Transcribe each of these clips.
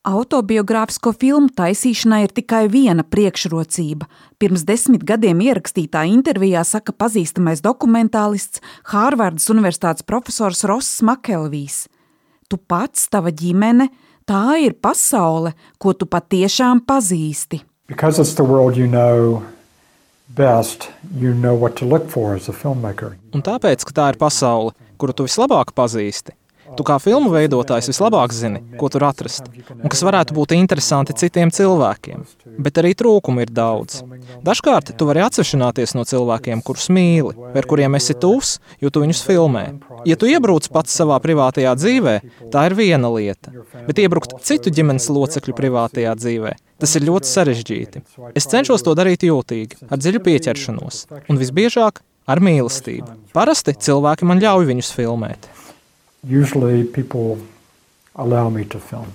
Autobiogrāfisko filmu taisīšanai ir tikai viena priekšrocība. Pirms 10 gadiem ierakstītā intervijā saka pazīstamais dokumentālists, Hārvardas universitātes profesors Ross Makelvijs. Tu pats, tava ģimene, tā ir pasaule, ko tu patiešām pazīsti. Because it's the world you know best, you know what to look for as a filmmaker. Un tāpēc, ka tā ir pasaule, kuru tu vislabāk pazīsti, tu kā filmu veidotājs vislabāk zini, ko tur atrast, un kas varētu būt interesanti citiem cilvēkiem. Bet arī trūkumu ir daudz. Dažkārt tu vari atsvešināties no cilvēkiem, kurus mīli, ar kuriem esi tuvs, jo tu viņus filmē. Ja tu iebrūc pats savā privātajā dzīvē, tā ir viena lieta, bet iebrukt citu ģimenes locekļu privātajā dzīvē, tas ir ļoti sarežģīti. Es cenšos to darīt jūtīgi, ar dziļu pieķeršanos, un visbiežāk ar mīlestību. Parasti cilvēki man ļauj viņus filmēt. Usually people allow me to film.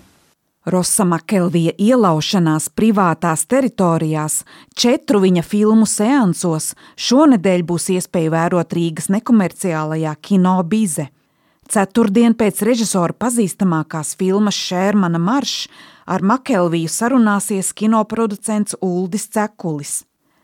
Rossa Makelvija ielaušanās privātās teritorijās 4 viņa filmu seansos šonedēļ būs iespēja vērot Rīgas nekomerciālajā Kino Bize. Ceturtdien pēc režisora pazīstamākās filmas Šērmana maršs ar Makelviju sarunāsies kinoproducents Uldis Cekulis.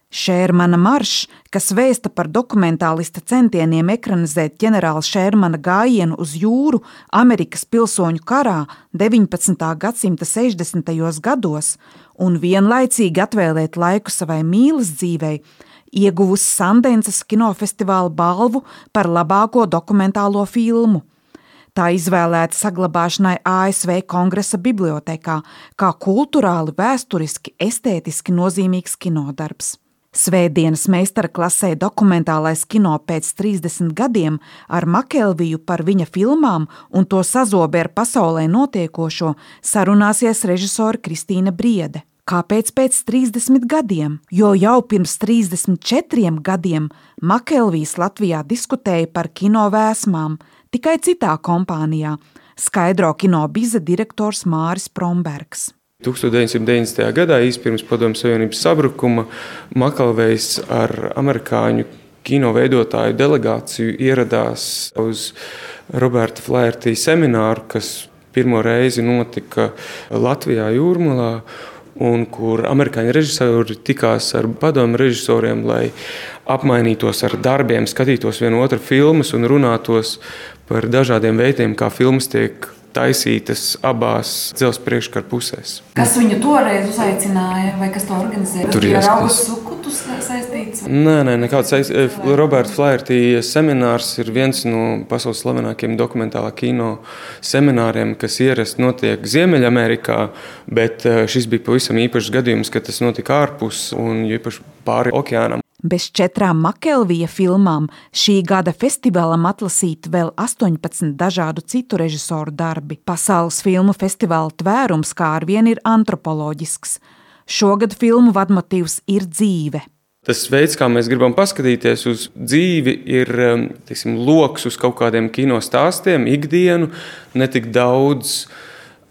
Šērmana maršs, kas vēsta par dokumentālista centieniem ekranizēt ģenerāla Šērmana gājienu uz jūru Amerikas pilsoņu karā 19. gadsimta 60. gados un vienlaicīgi atvēlēt laiku savai mīlas dzīvei, ieguvusi Sandences kinofestivāla balvu par labāko dokumentālo filmu. Tā izvēlēta saglabāšanai ASV Kongresa bibliotēkā kā kulturāli, vēsturiski, estētiski nozīmīgs kinodarbs. Svētdienas meistara klasē dokumentālais kino pēc 30 gadiem ar Makelviju par viņa filmām un to sazobi ar pasaulē notiekošo sarunāsies režisore Kristīna Briede. Kāpēc pēc 30 gadiem? Jo jau pirms 34 gadiem Makelvijs Latvijā diskutēja par kino vēsmām, tikai citā kompānijā, skaidro Kino Bize direktors Māris Prombergs. 1990. gadā, īsi pirms Padomju Savienības sabrukuma, Makelvijs ar amerikāņu kino veidotāju delegāciju ieradās uz Roberta Flaherty semināru, kas pirmo reizi notika Latvijā Jūrmalā, un kur amerikāņu režisori tikās ar padomju režisoriem, lai apmainītos ar darbiem, skatītos vienu otru filmas un runātos par dažādiem veidiem, kā filmas tiek taisītas abās dzelzs priekškara pusēs. Kas viņu toreiz uzaicināja, vai kas to organizēja? Tur ir Raugas Sukutus saistīts? Nē, nekāds saistīts. Roberta Flaherty seminārs ir viens no pasaules slavenākiem dokumentālā kino semināriem, kas ierasti notiek Ziemeļamerikā, bet šis bija pavisam īpašs gadījums, ka tas notika ārpus un īpaši pāri okeānam. Bez 4 Makelvija filmām šī gada festivālam atlasīti vēl 18 dažādu citu režisoru darbi. Pasaules filmu festivāla tvērums kā arvien ir antropoloģisks. Šogad filmu vadmotīvs ir dzīve. Tas veids, kā mēs gribam paskatīties uz dzīvi, ir loks uz kaut kādiem kino stāstiem, ikdienu, ne tik daudz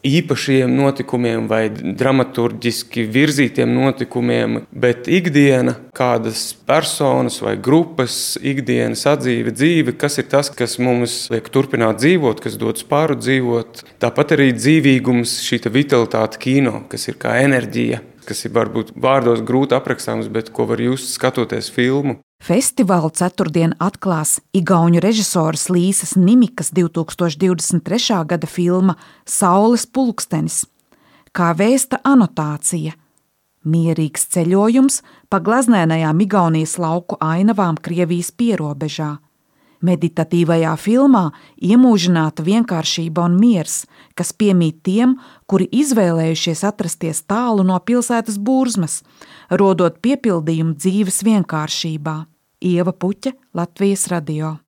īpašiem notikumiem vai dramaturģiski virzītiem notikumiem, bet ikdiena, kādas personas vai grupas, ikdienas atdzīve, dzīve, kas ir tas, kas mums liek turpināt dzīvot, kas dod spāru dzīvot. Tāpat arī dzīvīgums, šī vitalitāte kino, kas ir kā enerģija, kas ir varbūt vārdos grūti aprakstāms, bet ko var just skatoties filmu. Festivālu ceturtdien atklās igauņu režisoras Līsas Nimikas 2023. gada filma Saules pulkstenis, kā vēsta anotācija. Mierīgs ceļojums pa glaznēnajām Igaunijas lauku ainavām Krievijas pierobežā. Meditatīvajā filmā iemūžināta vienkāršība un miers, kas piemīt tiem, kuri izvēlējušies atrasties tālu no pilsētas burzmas, rodot piepildījumu dzīves vienkāršībā. Ieva Puķe, Latvijas radio.